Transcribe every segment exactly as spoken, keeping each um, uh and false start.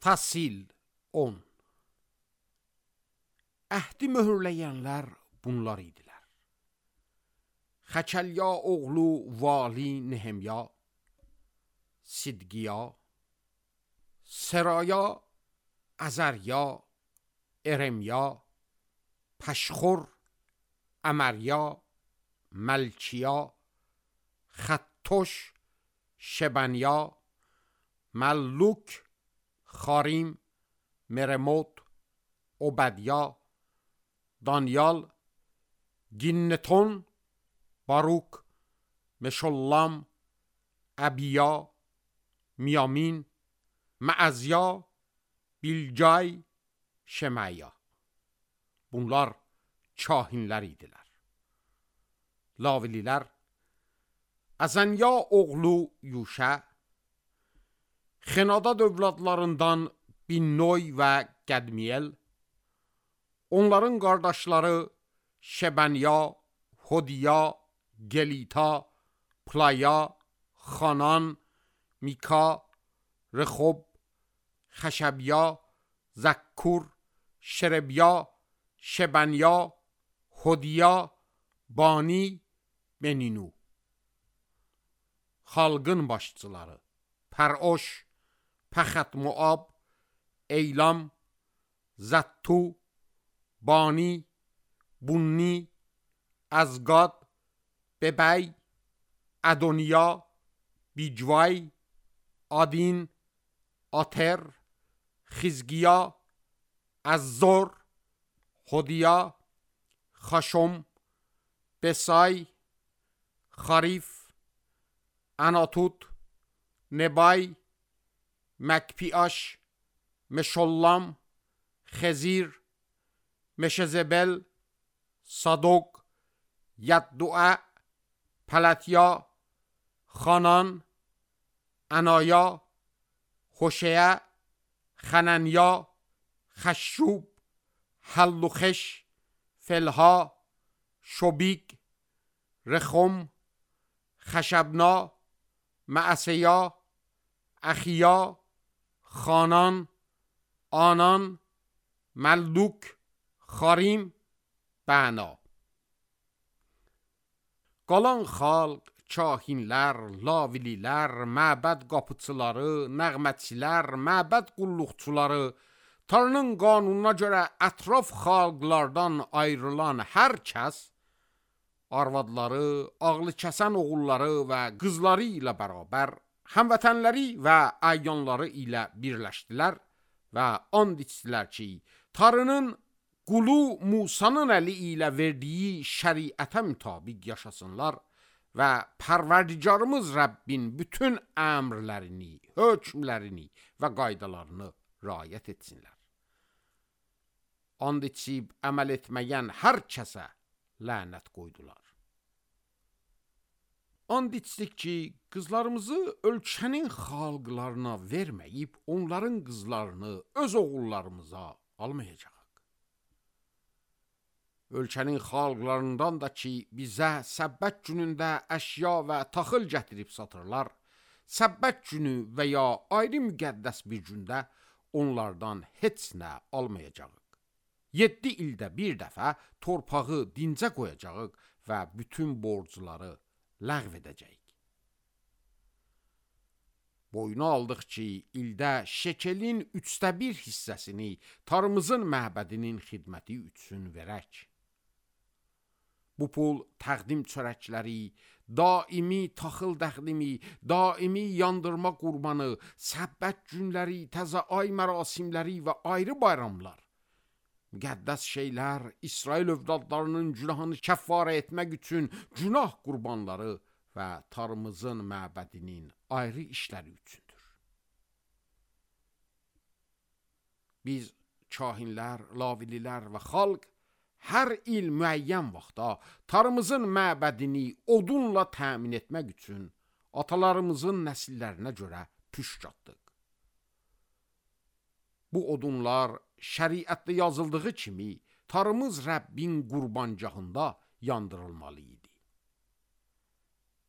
Fasil on. Əhdi möhürləyənlər bunlar idilər. Xəkəlya oğlu Vali Nehemya, Sidqiya, Seraya, Azarya, Eremya, Pəşxur, Əmərya, Məlkiya, Xəttoş, Şebanya, Məlluk, Xarim, Meremot, Obədya, Danyal, Ginnetun, Baruk, Meşollam, Əbiya, Miyamin, Məəzya, Bilcay, Şeməya. Bunlar kahinlər idilər. Lavililər, Əzənya oğlu Yuşə, Xenadad övladlarından Binnoy və Qədmiyel, onların qardaşları Şebanya, Hodiya, Gelita, Playa, Xanan, Mika, Rexob, Xəşəbya, Zəkkur, Şerebya, Şebanya, Hodiya, Bani, Beninu. Xalqın başçıları Pəroş, Pəxət Moab, Eylam, Zəttu, Bani, Bunni, Əzqad, Bebəy, Ədoniya, Bicvay, Adin, Atər, Xizqiya, Əzzor, Hodiya, Xaşom, Besay, Xarif, Anatut, Nebay, Məkpiaş, Meşollam, Xezir, Meşezebel, Sadok, Yadduə, Pələtya, Xanan, Anaya, Xoşəyə, Xənənya, Xəşşub, Həlluxeş, Felha, Şobik, Rexom, Xəşəbna, Məəsəya, Əxiya, Xanan, Anan, Məlluk, Xarim, Bəna. Qalan xalq, kahinlər, lavililər, məbəd qapıçıları, nəğmətçilər, məbəd qulluqçuları, Tanrının qanununa görə ətraf xalqlardan ayrılan hər kəs, arvadları, ağlı kəsən oğulları və qızları ilə bərabər, həmvətənləri və əyyanları ilə birləşdilər və and içdilər ki, Tanrının qulu Musanın əli ilə verdiyi şəriətə mütabiq yaşasınlar və Pərverdigarımız Rəbbin bütün əmrlərini, hökmlərini və qaydalarını riayət etsinlər. And içib əməl etməyən hər kəsə lənət qoydular. And içdik ki, qızlarımızı ölkənin xalqlarına verməyib, onların qızlarını öz oğullarımıza almayacaq. Ölkənin xalqlarından da ki, bizə səbbət günündə əşya və taxıl gətirib satırlar, səbbət günü və ya ayrı müqəddəs bir gündə onlardan heç nə almayacaq. Yeddi ildə bir dəfə torpağı dincə qoyacaq və bütün borcları ləğv edəcək. Boyuna aldıq ki, ildə şekelin üçdə bir hissəsini Tanrımızın məbədinin xidməti üçün verək. Bu pul təqdim çörəkləri, daimi taxıl təqdimi, daimi yandırma qurbanı, səbbət günləri, təzə ay mərasimləri və ayrı bayramlar, müqəddəs şeylər, İsrail övladlarının günahını kəffarə etmək üçün günah qurbanları və Tanrımızın məbədinin ayrı işləri üçündür. Biz kahinlər, lavililər və xalq hər il müəyyən vaxtda Tanrımızın məbədini odunla təmin etmək üçün atalarımızın nəsillərinə görə püşk atdıq. Bu odunlar şəriətdə yazıldığı kimi Tanrımız Rəbbin qurbancağında yandırılmalı idi.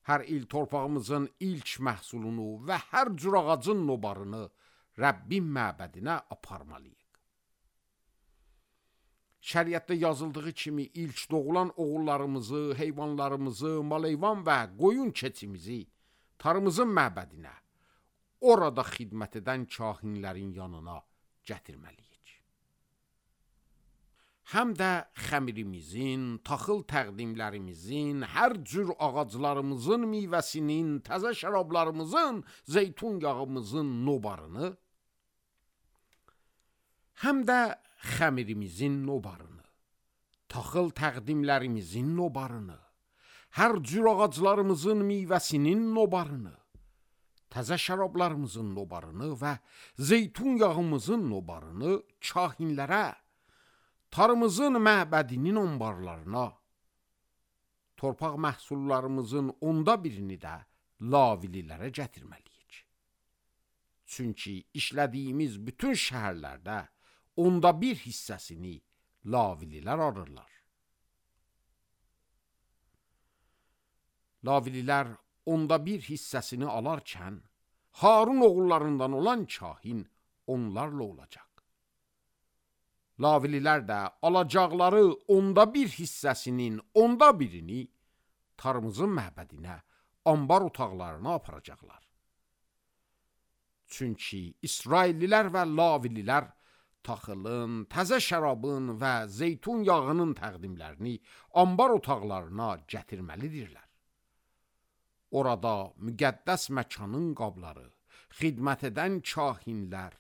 Hər il torpağımızın ilk məhsulunu və hər cür ağacın nobarını Rəbbin məbədinə aparmalıyıq. Şəriətdə yazıldığı kimi ilk doğulan oğullarımızı, heyvanlarımızı, maleyvan və qoyun keçimizi tarımızın məbədinə, orada xidmət edən kahinlərin yanına gətirməliyik. Həm də xəmirimizin, taxıl təqdimlərimizin, hər cür ağaclarımızın meyvəsinin, təzə şərablarımızın, zeytun yağımızın nobarını, həm də xəmirimizin nobarını, taxıl təqdimlərimizin nobarını, hər cür ağaclarımızın meyvəsinin nobarını, təzə şərablarımızın nobarını və zeytun yağımızın nobarını kahinlərə, tarımızın məbədinin anbarlarına, torpaq məhsullarımızın onda birini də lavililərə gətirməliyik. Çünki işlədiyimiz bütün şəhərlərdə onda bir hissəsini lavililər alırlar. Lavililər onda bir hissəsini alarkən, Harun oğullarından olan kahin onlarla olacaq. Lavililər də alacaqları onda bir hissəsinin onda birini tarımızın məbədinə, anbar otaqlarına aparacaqlar. Çünki İsraillilər və lavililər taxılın, təzə şərabın və zeytun yağının təqdimlərini anbar otaqlarına gətirməlidirlər. Orada müqəddəs məkanın qabları, xidmət edən kahinlər,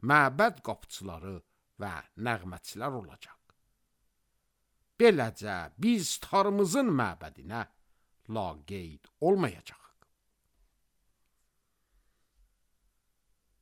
məbəd qapıçıları və nəğmətçilər olacaq. Beləcə biz tarımızın məbədinə laqeyd olmayacaq.